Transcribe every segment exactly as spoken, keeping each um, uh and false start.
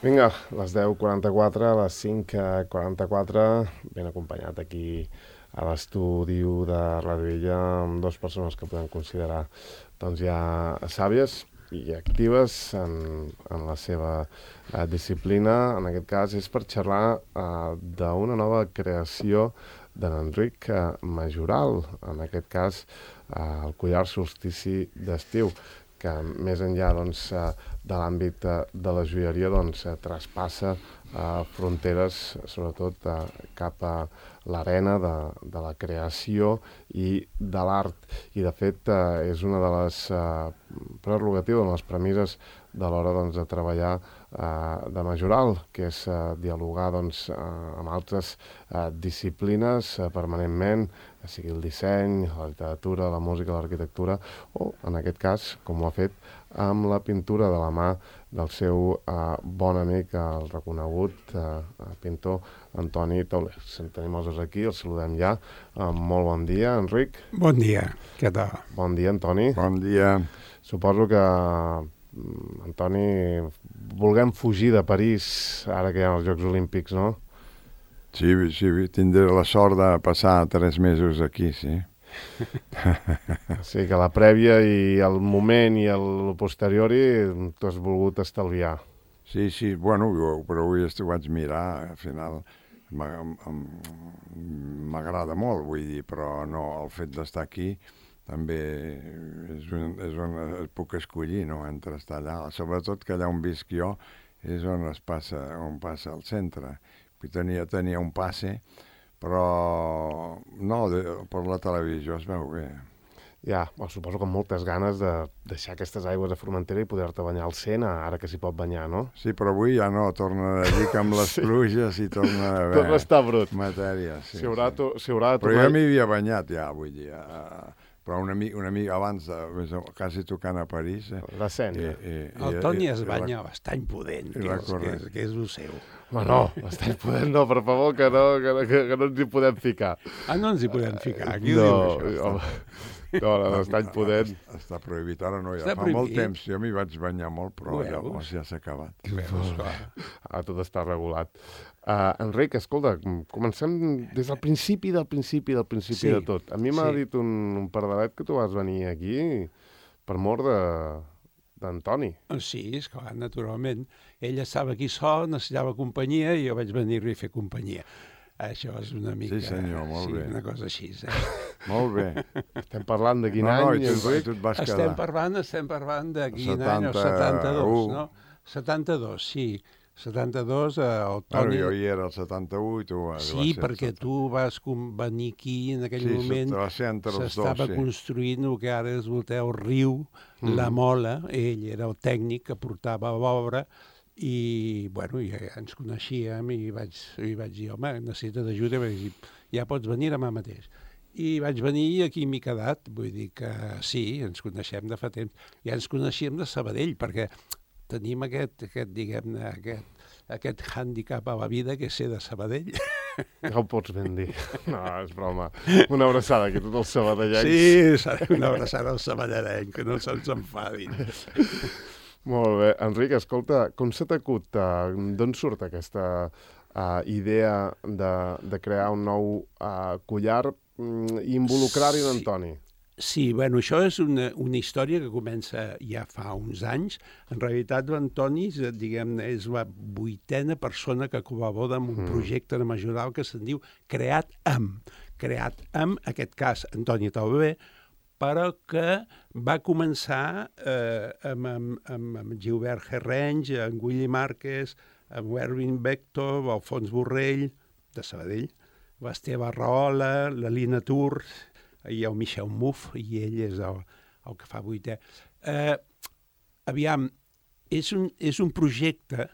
Vinga, les deu quaranta-quatre, les cinc quaranta-quatre, ben acompanyat aquí a l'estudi de Ràdio Illa amb dues persones que podem considerar doncs, ja sàvies i actives en, en la seva eh, disciplina. En aquest cas és per xerrar eh, d'una nova creació d'en Enric eh, Majoral, en aquest cas eh, el collar solstici d'estiu, que més enllà doncs, eh, de l'àmbit eh, de la joieria doncs, eh, traspassa eh, fronteres, sobretot eh, cap a l'arena de, de la creació i de l'art. I de fet eh, és una de les eh, prerrogatives, de les premisses de l'hora doncs, de treballar eh, de Majoral, que és eh, dialogar doncs, eh, amb altres eh, disciplines eh, permanentment, sigui el disseny, la literatura, la música, l'arquitectura, o, en aquest cas, com ho ha fet, amb la pintura de la mà del seu eh, bon amic, el reconegut eh, pintor Antoni Tauler. En tenim els dos aquí, els saludem ja. Eh, molt bon dia, Enric. Bon dia, què tal? Bon dia, Antoni. Bon dia. Suposo que, Antoni, vulguem fugir de París ara que hi ha els Jocs Olímpics, no? Sí, sí, tindré la sort de passar tres mesos aquí, sí. Sí, que la prèvia i el moment i el posteriori t'has volgut estalviar. Sí, sí, bueno, però avui ho vaig mirar, al final m'agrada molt, vull dir, però no, el fet d'estar aquí també és un, és on puc escollir, no?, entre estar allà. Sobretot que allà on visc jo és on es passa, on passa el centre. Tenia, tenia un passe, però no, de, per la televisió es veu bé. Ja, bueno, suposo que amb moltes ganes de deixar aquestes aigües de Formentera i poder-te banyar al Sena, ara que s'hi pot banyar, no? Sí, però avui ja no, torna a dir que amb les sí. pluges i torna a haver... Torna a estar brut. Matèria, sí. Si haurà, sí. To, si haurà però jo m'hi havia banyat ja, vull dir... Uh, però una mica, una mica abans, de, quasi tocant a París... Eh, la Sena. I, i, el Toni es banya la, bastant pudent, que és, que, és, que és el seu. Home, no, bastant pudent no, per favor, que no, que, que, que no ens hi podem ficar. Ah, no ens hi podem ficar? Qui no, ho diu, això? No, no, no, bastant pudent. Està prohibit, ara no, ja està fa prohibit. molt temps. Jo m'hi vaig banyar molt, però llavors ja s'ha acabat. Veus, ah, tot està regulat. Uh, Enric, escolta, comencem des del principi, del principi, del principi sí, de tot. A mi m'ha sí. dit un, un pardalet que tu vas venir aquí per mort de d'Antoni. Sí, esclar, naturalment. Ell estava aquí sol, necessitava companyia i jo vaig venir-li a fer companyia. Això és una mica... Sí, senyor, molt sí, bé. una cosa així. Eh? Molt bé. Estem parlant de quin no, any, no, i tu, Enric? tu et vas estem quedar. Parlant, estem parlant de quin setanta... any, el setanta-dos, no? setanta-dos, sí. setanta-dos, el Toni... Bueno, jo hi era el setanta-u i tu vas Sí, perquè tu vas venir aquí en aquell sí, moment. S'estava sí. construint el que ara es volteu riu, mm. la Mola. Ell era el tècnic que portava l'obra i, bueno, ja ens coneixíem i vaig, i vaig dir, home, necessites ajuda, i vaig dir, ja pots venir demà mateix. I vaig venir i aquí m'he quedat, vull dir que sí, ens coneixem de fa temps. Ja ens coneixíem de Sabadell, perquè tenim aquest, aquest diguem-ne, aquest, aquest hàndicap a la vida que és ser de Sabadell. Ja ho pots ben dir. No, és broma. Una abraçada aquí a tots els sabadellencs. Sí, una abraçada als sabadellencs, que no se'ns enfadin. Molt bé. Enric, escolta, com se t'acut? Uh, D'on surt aquesta uh, idea de, de crear un nou uh, collar um, i involucrar-hi en Antoni? Sí, bueno, això és una, una història que comença ja fa uns anys. En realitat, l'Antoni, diguem-ne, és la vuitena persona que col·labora en un mm. projecte de Majoral que se'n diu Creat amb. Creat amb, en aquest cas, Antoni Tauler, però que va començar eh, amb, amb, amb, amb Gilbert Herrenys, amb Willy Márquez, amb Erwin Vector, Alfons Borrell, de Sabadell, l'Esteve Rahola, la Lina Tur, i el Michel Muff, i ell és el, el que fa vuitè. Eh, aviam, és un, és un projecte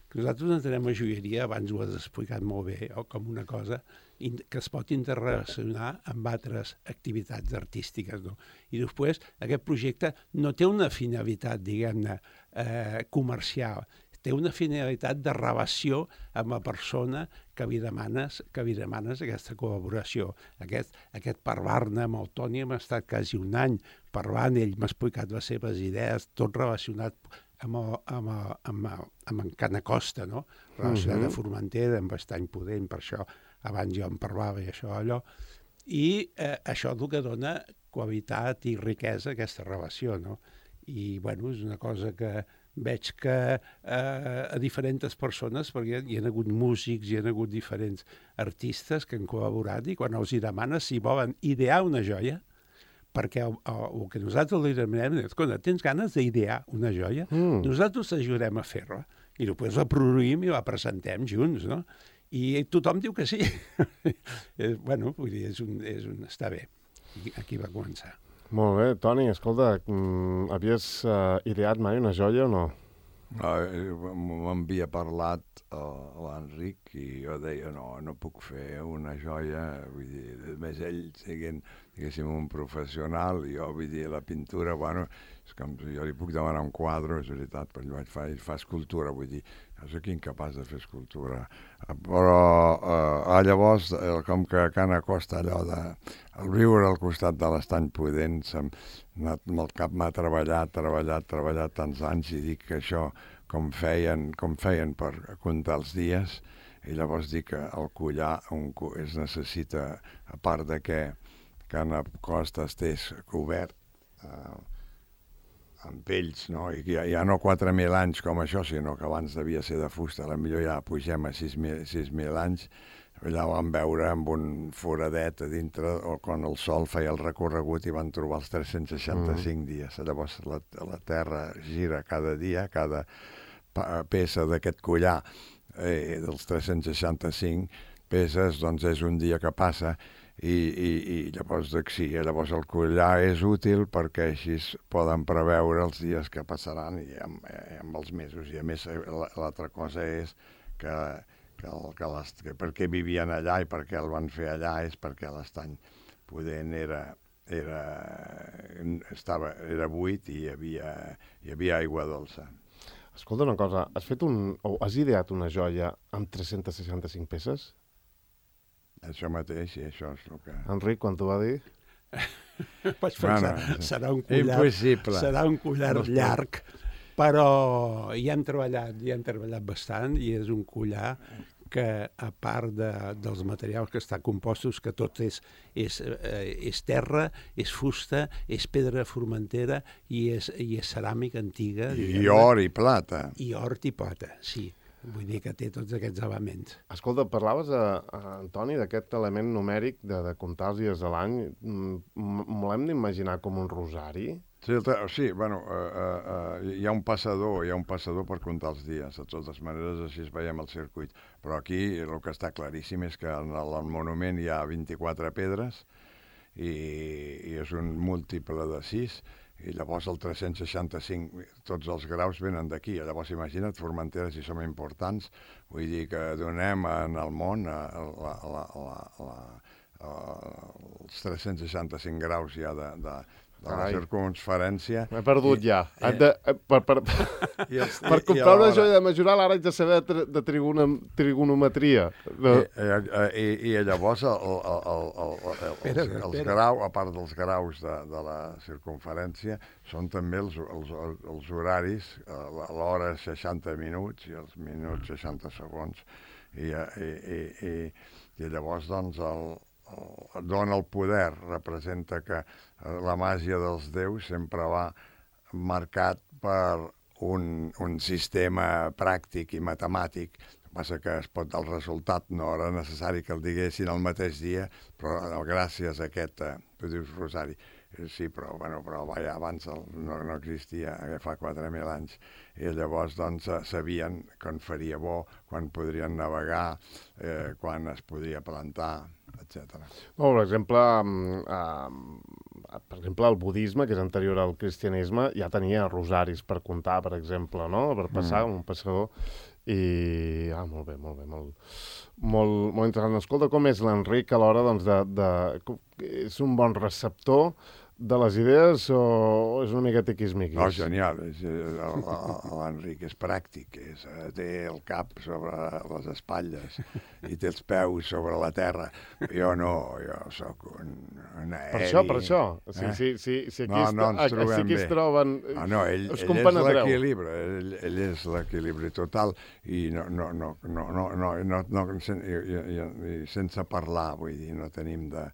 que nosaltres entenem a joieria, abans ho has explicat molt bé, o com una cosa que es pot interrelacionar amb altres activitats artístiques. No? I després, aquest projecte no té una finalitat, diguem-ne, eh, comercial, té una finalitat de relació amb la persona que li demanes, que li demanes aquesta col·laboració. Aquest, aquest parlar-ne amb el Toni hem estat quasi un any parlant, ell m'ha explicat les seves idees, tot relacionat amb, el, amb, el, amb, el, amb en Canacosta, no? Relacionat uh -huh. a Formentera, amb Estany Pudent, per això abans jo en parlava i això, allò. I eh, això és el que dona qualitat i riquesa a aquesta relació, no? I, bueno, és una cosa que veig que eh, a diferents persones, perquè hi ha hagut músics, hi ha hagut diferents artistes que han col·laborat, i quan els hi demanes si volen idear una joia, perquè el, el, el que nosaltres li demanem és, escolta, tens ganes d'idear una joia? Mm. Nosaltres t'ajudarem a fer-la, i després la produïm i la presentem junts, no? I tothom diu que sí. Bueno, vull dir, és un, és un, està bé. Aquí va començar. Molt bé. Toni, escolta, mm, havies uh, ideat mai una joia o no? No, m'havia parlat uh, l'Enric i jo deia, no, no puc fer una joia, vull dir, a més ell siguent, diguéssim, un professional, i jo, vull dir, la pintura, bueno, és com jo li puc demanar un quadre, és veritat, però ell vaig fa, ell fa escultura, vull dir, jo soc incapaç de fer escultura. Però uh, llavors, eh, com que Cana Costa, allò de el viure al costat de l'Estany Pudent, amb el cap m'ha treballat, treballat, treballat tants anys, i dic que això, com feien, com feien per comptar els dies, i llavors dic que el collar un, es necessita, a part de que Cana Costa estés cobert, eh, amb pells, no? I ja, ja no quatre mil anys com això, sinó que abans devia ser de fusta, potser ja pugem a sis mil anys. Allà vam veure amb un foradet a dintre, o quan el sol feia el recorregut i van trobar els tres-cents seixanta-cinc mm. dies. Llavors la, la Terra gira cada dia, cada peça d'aquest collar eh, dels tres-cents seixanta-cinc peces, doncs és un dia que passa. I, i, i llavors, sí, llavors el collar és útil perquè així poden preveure els dies que passaran i amb, i amb els mesos. I a més l'altra cosa és que, que, el, que, les, que per què vivien allà i per què el van fer allà és perquè l'Estany Pudent era, era, estava, era buit i hi havia, hi havia aigua dolça. Escolta una cosa, has fet un, o has ideat una joia amb tres-cents seixanta-cinc peces? Això mateix, i això és el que... Enric, quan t'ho va dir? Vaig pensar, bueno, serà un collar, impossible. Serà un collar no llarg, però hi hem treballat, hi hem treballat bastant, i és un collar que, a part de, dels materials que està compostos, que tot és, és, eh, és terra, és fusta, és pedra formentera i és, i és ceràmica antiga. I, i or i plata. I or i plata, sí. Vull dir que té tots aquests elements. Escolta, parlaves, a, a Antoni, d'aquest element numèric de, de comptar els dies de l'any. M'ho hem d'imaginar com un rosari? Sí, sí, bueno, uh, uh, hi ha un passador, hi ha un passador per comptar els dies. De totes maneres, així es veiem el circuit. Però aquí el que està claríssim és que en el, el monument hi ha vint-i-quatre pedres i, i és un múltiple de sis. I llavors el tres-cents seixanta-cinc, tots els graus venen d'aquí. Llavors imagina't, Formentera, si som importants, vull dir que donem en el món a, la, la, la, la, a, els tres-cents seixanta-cinc graus ja de, de, de la circumferència. M'he perdut i, ja. Eh, de, eh, per per, els, per comprar una joia de Majoral ara haig de saber de, de trigona, trigonometria. De... I, i, I llavors el, el, el, el, el, espera, els, els graus, a part dels graus de, de la circumferència, són també els, els, els horaris, l'hora seixanta minuts i els minuts seixanta segons. I, i, i, i, i llavors, doncs, el, el, dona el poder, representa que la màgia dels déus sempre va marcat per un, un sistema pràctic i matemàtic. El que passa que es pot, el resultat no era necessari que el diguessin el mateix dia, però gràcies a aquest, eh, tu dius Rosari, sí, però, bueno, però vaja, abans el, no, no existia, fa quatre mil anys, i llavors doncs sabien quan faria bo, quan podrien navegar, eh, quan es podria plantar, etcètera. No, per exemple, eh, per exemple, el budisme, que és anterior al cristianisme, ja tenia rosaris per comptar, per exemple, no? Per passar mm. un passador. I, ah, molt bé, molt bé, molt, molt, molt interessant. Escolta, com és l'Enric a l'hora, doncs, de, de... És un bon receptor de les idees o és una mica tiquismiquis? No, genial. És, l'Enric és pràctic. És, té el cap sobre les espatlles i té els peus sobre la terra. Jo no, jo sóc un, un aeri. Per això, per això. O sigui, Eh? si, si, si aquí, No, no ens es, trobem si aquí es bé. troben... Ah, no, ell, us ell és compenetreu. l'equilibri, ell, ell és l'equilibri total i no, no, no, no, no, no, no, no sen, i, i, i, sense parlar, vull dir, no tenim de...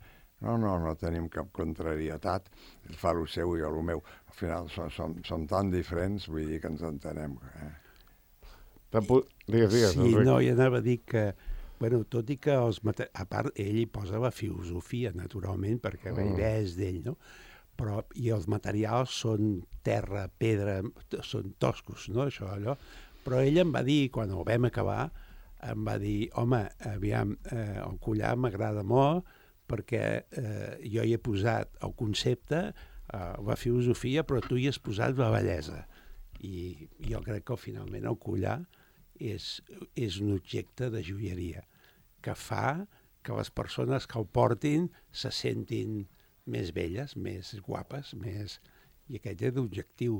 No, no, no tenim cap contrarietat. Ell fa el seu i jo el meu. Al final som, som, som tan diferents, vull dir que ens entenem. Eh? Digues, digues, Sí, Enric. no, i anava a dir que, bueno, tot i que els mate... a part, ell hi posa la filosofia, naturalment, perquè la Mm. idea és d'ell, no? Però, i els materials són terra, pedra, t- són toscos, no?, això, allò. Però ell em va dir, quan ho vam acabar, em va dir, home, aviam, eh, el collar m'agrada molt, perquè eh, jo hi he posat el concepte, eh, la filosofia, però tu hi has posat la bellesa. I jo crec que finalment el collar és, és un objecte de joieria que fa que les persones que el portin se sentin més belles, més guapes, més... I aquest és l'objectiu,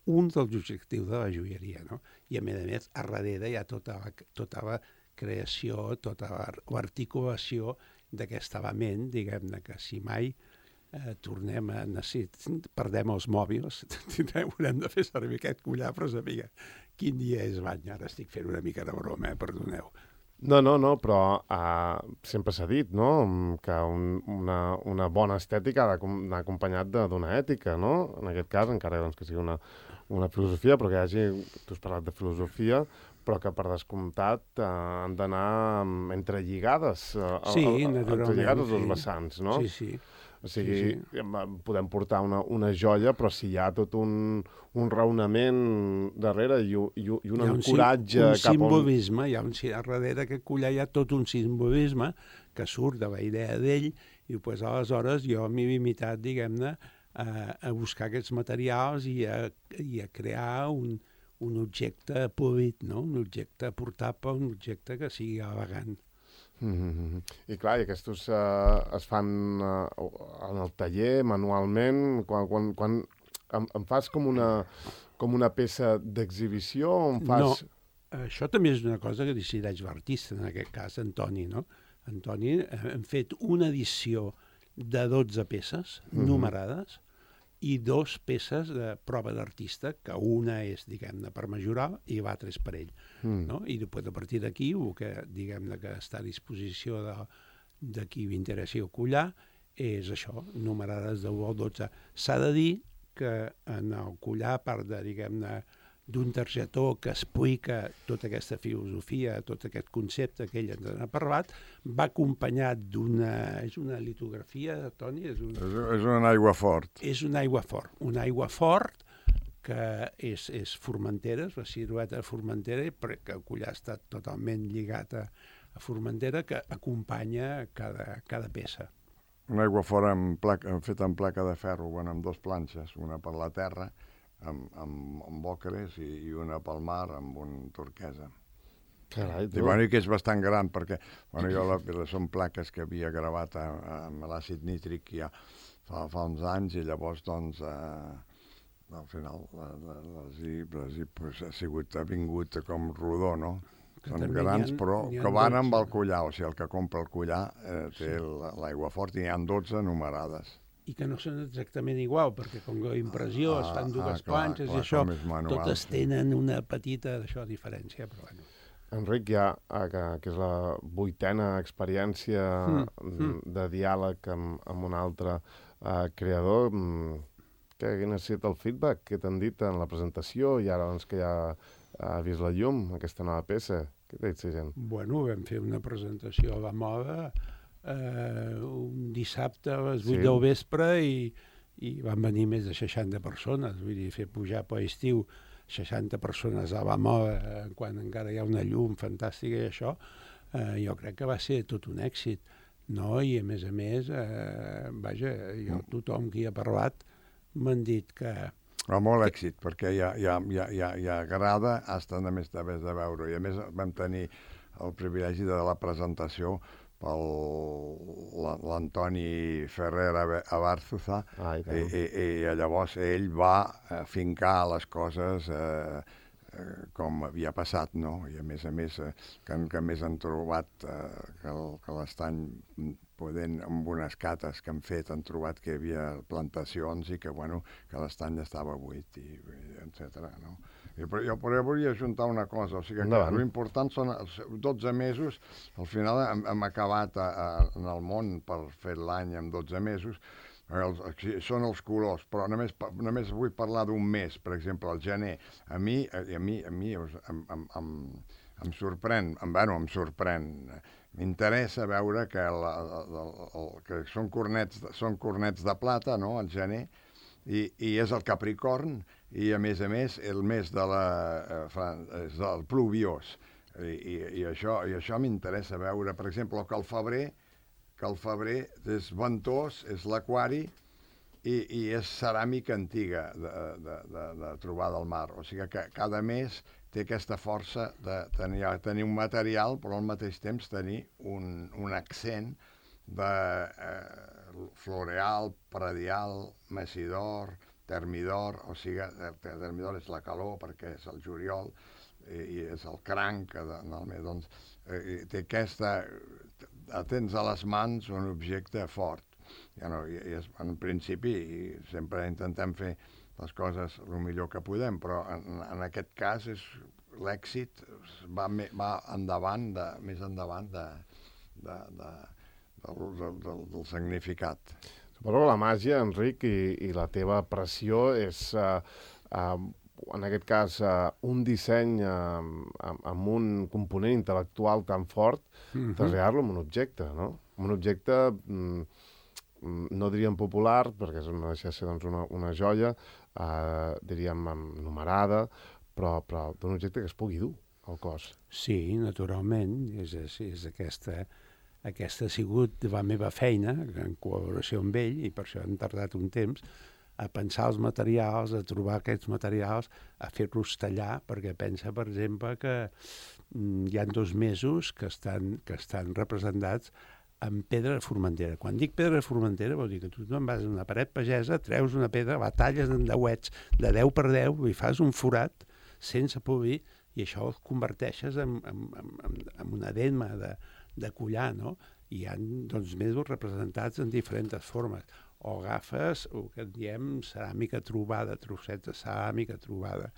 un dels objectius de la joieria, no? I a més a més, a darrere hi ha tota la, tota la creació, tota l'articulació d'aquest element, diguem-ne, que si mai eh, tornem a necessitar, perdem els mòbils, haurem de fer servir aquest collar, però sabiga quin dia és l'any. Ara estic fent una mica de broma, eh? Perdoneu. No, no, no, però uh, sempre s'ha dit, no?, que un, una, una bona estètica ha d'anar acompanyat d'una ètica, no?, en aquest cas, encara doncs, que sigui una, una filosofia, però que hi hagi, tu has parlat de filosofia, però que per descomptat uh, han d'anar um, entrelligades, uh, Sí, el, el, naturalment, entrelligades els sí. vessants, no? Sí, sí. O sigui, Sí, sí, sí. podem portar una, una joia, però si hi ha tot un, un raonament darrere i, i, i un Hi ha encoratge un, cap a un... simbolisme, hi ha un, darrere d'aquest collar hi ha tot un simbolisme que surt de la idea d'ell i pues, aleshores jo m'he limitat, diguem-ne, a, a buscar aquests materials i a, i a crear un, un objecte polit, no? Un objecte portable, un objecte que sigui elegant. Mm-hmm. I clar, i aquests uh, es fan uh, en el taller, manualment, quan, quan, quan em, em fas com una, com una peça d'exhibició o em fas... No, això també és una cosa que decideix l'artista, en aquest cas, Antoni, no? Antoni, eh, hem fet una edició de dotze peces Mhm. numerades i dos peces de prova d'artista, que una és, diguem-ne, per majorar i l'altra és per ell. Mm. No? I després, a partir d'aquí, el que, diguem-ne, que està a disposició de, de qui li interessi el collar és això, numerades de u al dotze. S'ha de dir que en el collar, a part de, diguem-ne, d'un targetó que explica tota aquesta filosofia, tot aquest concepte que ell ens ha parlat, va acompanyat d'una... És una litografia, Toni? És un, És, és un aigua fort. és un aigua fort. Un aigua fort que és, és Formentera, és la silueta de Formentera, perquè el collar està totalment lligat a, a Formentera, que acompanya cada, cada peça. Un aigua fort amb placa, feta amb placa de ferro, bueno, amb dos planxes, una per la terra, amb, amb, amb ocres i, i una pel mar amb un turquesa. Carai, tu. I, bueno, i que és bastant gran, perquè bueno, jo la, són plaques que havia gravat a, a, amb l'àcid nítric ja fa, fa uns anys i llavors, doncs, eh, al final la, la, les hi, les hi, pues, ha sigut, ha vingut com rodó, no? Que Són també grans, n'hi ha- però n'hi ha que van amb dotze. el collar, o sigui, el que compra el collar eh, té sí. l'aigua fort i n'hi ha dotze numerades. I que no són exactament igual, perquè com que la impressió Ah, es fan dues ah, clar, planxes clar, i això, com és manual, totes sí. tenen una petita d'això diferència, però bueno. Enric, ja, eh, que, que és la vuitena experiència Mm, mm, mm. de diàleg amb, amb un altre eh, creador, mm, que quin ha estat el feedback que t'han dit en la presentació i ara doncs, que ja ha vist la llum, aquesta nova peça? Què t'ha dit la gent? Bueno, vam fer una presentació a la moda eh, un dissabte a les vuit Sí. del vespre i, i van venir més de seixanta persones, vull dir, fer pujar per estiu seixanta persones a la moda eh, quan encara hi ha una llum fantàstica i això, eh, jo crec que va ser tot un èxit, no? I a més a més, eh, vaja, jo tothom qui ha parlat m'han dit que Però molt èxit, perquè ja, ja, ja, ja, ja agrada hasta només de, de veure. I a més vam tenir el privilegi de la presentació pel l'Antoni Ferrer Abarzuza, ah, i, i, i, i llavors ell va fincar les coses eh, eh, com havia passat, no? I a més a més, eh, que, que més han trobat eh, que, el, que l'estany podent, amb unes cates que han fet, han trobat que hi havia plantacions i que, bueno, que l'estany estava buit, i, i etcètera, no? I, però, jo, però jo volia ajuntar una cosa, o sigui que l'important són els dotze mesos, al final hem, hem acabat a, a, en el món per fer l'any amb dotze mesos, els, són els colors, però només, només vull parlar d'un mes, per exemple, el gener. A mi, a, a mi, a mi em, em, em, em sorprèn, em, bueno, em sorprèn, m'interessa veure que, el, el, el, el, que són, cornets, són cornets de plata, no?, al gener, i, i és el Capricorn, i a més a més el mes de la, eh, és del pluviós, I, i, i això, i això m'interessa veure, per exemple, que el febrer, que el febrer és ventós, és l'aquari, i, i és ceràmica antiga de, de, de, de trobar del mar, o sigui que cada mes té aquesta força de tenir, tenir un material, però al mateix temps tenir un, un accent de eh, floreal, pradial, messidor, termidor, o sigui, termidor és la calor perquè és el juliol i, i és el cranc, de, doncs, eh, té aquesta, tens a les mans un objecte fort. Ja no, i, i és, en principi i sempre intentem fer les coses el millor que podem, però en, en aquest cas és l'èxit va, va endavant, de, més endavant de, de, de, del, del, del, del significat. Suposo que la màgia, Enric, i, i la teva pressió és, uh, uh, en aquest cas, uh, un disseny uh, amb, amb un component intel·lectual tan fort, mm-hmm. traslladar-lo en un objecte, no? Un objecte, mm, no diríem popular, perquè no deixa de ser doncs, una, una joia, uh, diríem numerada, però, però d'un objecte que es pugui dur al cos. Sí, naturalment, és, és, és aquesta... Aquesta ha sigut la meva feina, en col·laboració amb ell, i per això hem tardat un temps, a pensar els materials, a trobar aquests materials, a fer-los tallar, perquè pensa, per exemple, que mm, hi ha dos mesos que estan, que estan representats amb pedra de Formentera. Quan dic pedra de Formentera vol dir que tu te'n vas a una paret pagesa, treus una pedra, la talles en deuets de deu per deu i fas un forat sense polir, i això el converteixes en, en, en, en un edema de de collar, no? I hi ha doncs, mesos representats en diferents formes. O agafes el que en diem ceràmica trobada, trossets de ceràmica trobada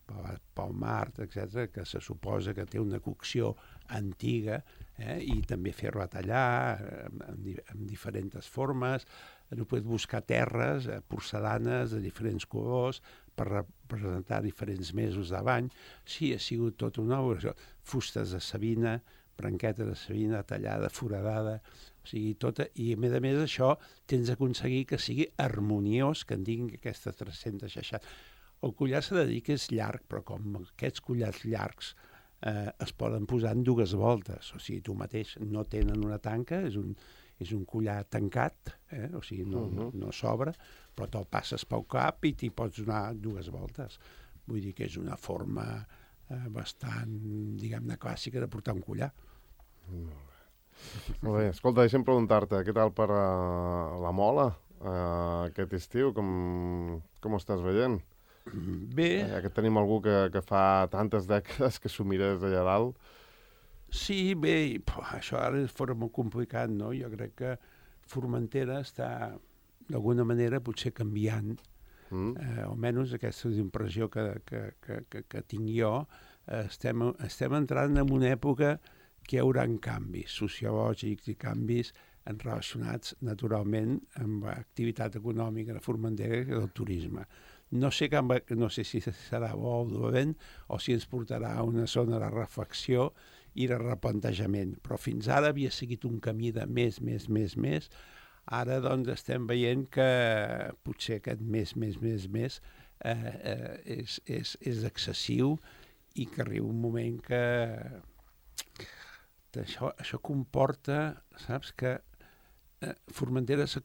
pel, pel mar, etcètera, que se suposa que té una cocció antiga, eh? I també fer-la tallar en, en, en diferents formes. No pots buscar terres, eh, porcelanes de diferents colors per representar diferents mesos de l'any. Sí, ha sigut tota una obra. Fustes de savina, branqueta de savina tallada, foradada, o sigui, tota, i a més a més això tens d'aconseguir que sigui harmoniós, que en diguin aquestes tres-centes seixanta. El collar s'ha de dir que és llarg, però com aquests collars llargs eh, es poden posar en dues voltes, o sigui, tu mateix no tenen una tanca, és un, és un collar tancat, eh? O sigui, no, uh-huh. no, no s'obre, però te'l passes pel cap i t'hi pots donar dues voltes. Vull dir que és una forma eh, bastant, diguem-ne, clàssica de portar un collar. Molt bé. Molt bé. Escolta, deixa'm preguntar-te, què tal per uh, la Mola uh, aquest estiu? Com, com ho estàs veient? Bé. Ja que tenim algú que, que fa tantes dècades que s'ho mires allà dalt. Sí, bé, però això ara fora molt complicat, no? Jo crec que Formentera està, d'alguna manera, potser canviant. Mm. Eh, almenys aquesta és l'impressió que, que, que, que, que tinc jo. Eh, estem, estem entrant en una època que hi haurà canvis sociològics i canvis relacionats naturalment amb l'activitat econòmica de Formentera i del turisme. No sé, com, no sé si serà bo o dolent o si ens portarà a una zona de reflexió i de replantejament, però fins ara havia seguit un camí de més, més, més, més. Ara doncs estem veient que potser aquest més, més, més, més eh, eh, és, és, és excessiu i que arriba un moment que Això, això comporta, saps, que eh, Formentera s'ha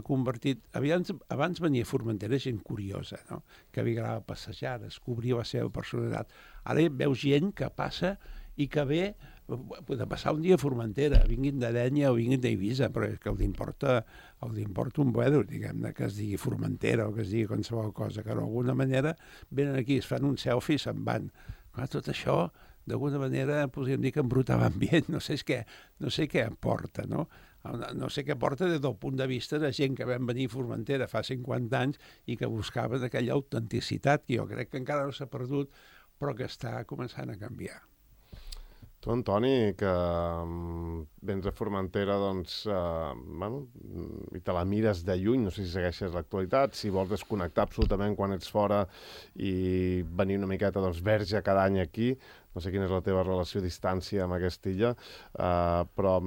convertit... Abans, abans venia a Formentera gent curiosa, no? Que havia a passejar, descobrir la seva personalitat. Ara veus gent que passa i que ve de passar un dia a Formentera, vinguin de Dénia o vinguin d'Eivissa, però és que els importa, els importa un buedo, diguem-ne, que es digui Formentera o que es digui qualsevol cosa, que d'alguna manera venen aquí, es fan un selfie i se'n van. Clar, tot això, d'alguna manera, podríem dir que embruta l'ambient, no sé què, no sé què aporta, no? No sé què aporta des del punt de vista de gent que vam venir a Formentera fa cinquanta anys i que buscaven aquella autenticitat que jo crec que encara no s'ha perdut, però que està començant a canviar. Tu, Antoni, que vens a Formentera, doncs, eh, bueno, i te la mires de lluny, no sé si segueixes l'actualitat, si vols desconnectar absolutament quan ets fora i venir una miqueta, doncs, verge cada any aquí, no sé quina és la teva relació a distància amb aquesta illa, eh, però...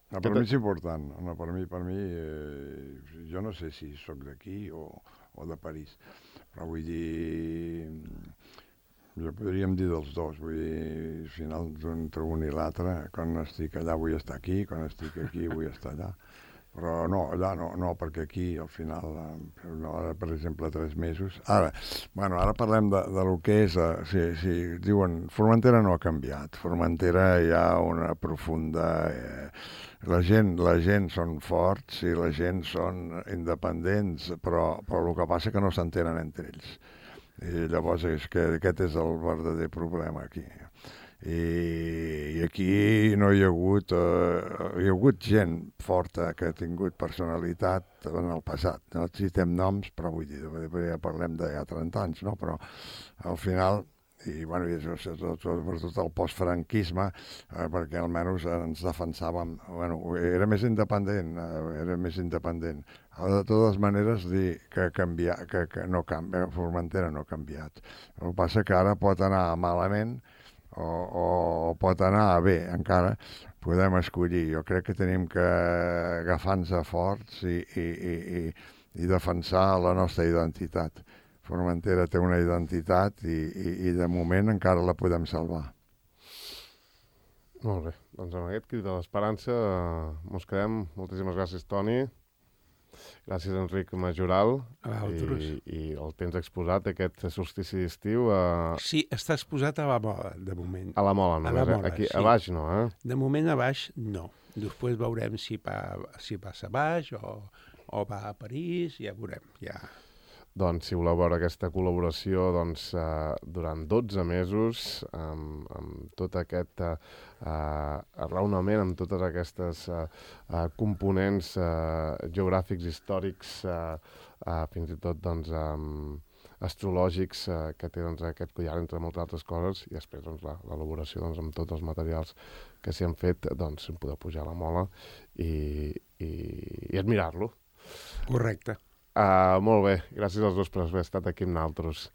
No, per mi és important. No, per mi, per mi eh, jo no sé si sóc d'aquí o, o de París, però vull dir... Jo podríem dir dels dos, vull dir, al final entre un i l'altre, quan estic allà vull estar aquí, quan estic aquí vull estar allà. Però no, allà no, no, perquè aquí al final, no, ara, per exemple, tres mesos. Ara, bueno, ara parlem de, de lo que és, uh, si, si diuen, Formentera no ha canviat, Formentera hi ha una profunda... Eh, la gent, la gent són forts i la gent són independents, però, però el que passa és que no s'entenen entre ells. I llavors és que aquest és el verdader problema aquí. I, i aquí no hi ha hagut eh, hi ha hagut gent forta que ha tingut personalitat en el passat, no citem noms, però vull dir, ja parlem de ja trenta anys, no? Però al final, i bueno, i això, tot, tot, tot, tot el postfranquisme, eh, perquè almenys ens defensàvem, bueno, era més independent, eh, era més independent. De totes maneres, dir que, canvia, que, que no canvia, Formentera no ha canviat. El que passa que ara pot anar malament, O, o pot anar bé, encara podem escollir. Jo crec que tenim que agafar-nos forts i, i, i, i defensar la nostra identitat. Formentera té una identitat i, i, i de moment encara la podem salvar. Molt bé, doncs amb aquest crit de l'esperança mos quedem. Moltíssimes gràcies, Toni. Gràcies, Enric Majoral. I, I el tens exposat, aquest solstici d'estiu. A... Sí, està exposat a la Mola, de moment. A la Mola, només, a la Mola, eh? Aquí sí. A baix no, eh? De moment a baix no. Després veurem si, pa, si passa a baix o, o va a París, ja veurem, ja... Doncs, si voleu veure aquesta col·laboració, doncs, eh, durant dotze mesos, amb, amb tot aquest eh, arraonament, amb totes aquestes eh, eh, components eh, geogràfics, històrics, eh, eh, fins i tot, doncs, eh, astrològics, eh, que té, doncs, aquest collar, entre moltes altres coses, i després, doncs, l'elaboració, doncs, amb tots els materials que s'hi han fet, doncs, podeu pujar a la Mola i, i, i admirar-lo. Correcte. Uh, molt bé, gràcies als dos per haver estat aquí amb nosaltres.